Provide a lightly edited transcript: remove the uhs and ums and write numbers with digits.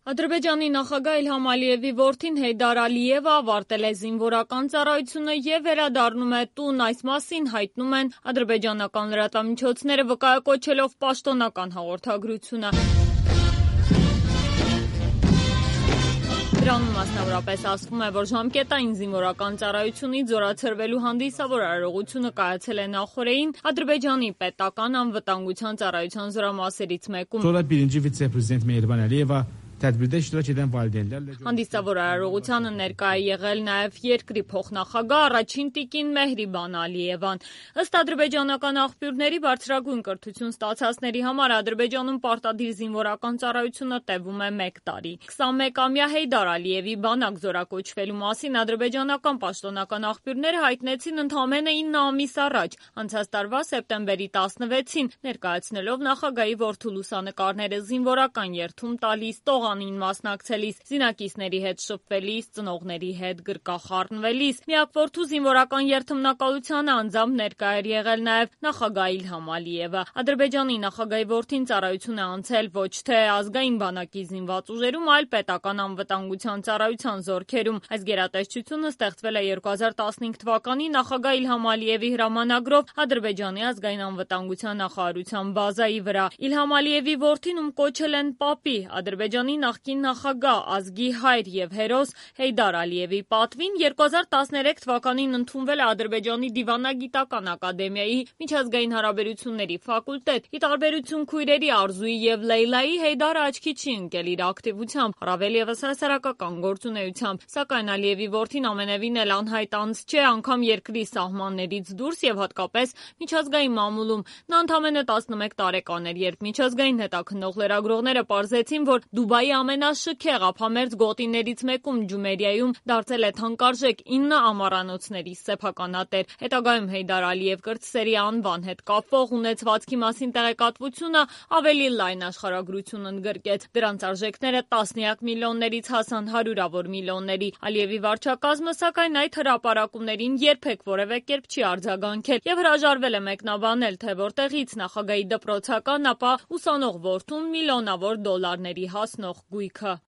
Ադրբեջանի նախագահ Իլհամ Ալիևի որդին Հեյդար Ալիևը ավարտել է զինվորական ծառայությունը և վերադառնում է տուն, այս մասին հայտնում են ադրբեջանական լրատվամիջոցները, վկայակոչելով պաշտոնական հաղորդագրությունը։ Դրանում մասնավորապես ասվում է, որ ժամկետային զինվորական ծառայությունից զորացրվելու հանդիսավոր արարողությունը կայացել է նախօրեին Ադրբեջանի պետական անվտանգության ծառայության զորամասերից մեկում։ Հանդիսավոր արարողությանը ներկա է եղել նաև երկրի փոխնախագահ առաջին տիկին Մեհրիբան Ալիևան։ Ըստ ադրբեջանական աղբյուրների, բարձրագույն կրթություն ստացածների համար Ադրբեջանում պարտադիր զինվորական ծառայությունը տևում է 1 տարի։ 21-ամյա Հեյդար Ալիևի բանակ զորակոչվելու մասին ադրբեջանական պաշտոնական աղբյուրները հայտնեցին ընդամենը 9 ամիս առաջ, անցած տարվա սեպտեմբերի 16-ին, ներկայացնելով նախագահի որդու լուսանկարները զինվորական երթում տալիս, տողանին մասնակցելիս, զինակիցների հետ շփվելիս, ծնողների հետ գրկախառնվելիս։ Միակ որդու զինվորական երթմնակալությանը անձամբ ներկա էր եղել նաև նախագահ Իլհամ Ալիևը։ Ադրբեջանի նախագահի որդին ծառայություն է անցել ոչ թե ազգային բանակի զինված ուժերում, այլ պետական անվտանգության ծառայության զորքերում։ Այս գերատեսչությունը ստեղծվել է 2015 թվականի նախագահ Իլհամ Ալիևի հրամանագրով Ադրբեջանի ազգային անվտանգության նախարարության բազայի վրա։ Իլհամ Ալիևի որդին, ում կոչել են պապի, Ադրբեջանի նախկին նախագահ, ազգի հայր և հերոս Հեյդար Ալիևի պատվին 2013 թվականին ընդունվել է Ադրբեջանի դիվանագիտական ակադեմիայի միջազգային հարաբերությունների ֆակուլտետ։ Ի տարբերություն քույրերի Արզուի և Լեյլայի, Հեյդարը աչքի չի ընկել իր ակտիվությամբ, առավել ևս հասարակական գործունեությամբ։ Սակայն Ալիևի որդին ամենևին էլ անհայտ անձ չէ, անգամ երկրի սահմաններից դուրս և հատկապես միջազգային մամուլում։ Նա ընդամենը 11 տարեկան էր, երբ միջազգային հետաքննող լրագրողները պարզեցին, որ Դուբայի ամենաշքեղ ափամերձ գոտիներից մեկում Ջումերիայում դարձել է թանկարժեք 9 ամառանոցների սեփականատեր։ Հետագայում Հեյդար Ալիև կրտսերի անվան հետ կապվող ունեցվածքի մասին տեղեկատվությունը ավելի լայն աշխարհագրություն ընդգրկեց։ Դրանց արժեքները տասնյակ միլիոններից հասան հարյուրավոր միլիոնների։ Ալիևի վարչակազմը, սակայն, այդ հրապարակումներին երբեք որևէ կերպ չի արձագանքել և հրաժարվել է մեկնաբանել, թե որտեղից նախագահի դպրոցական, ապա ուսանող որդուն միլիոնավոր դոլարների հասնող գույքը։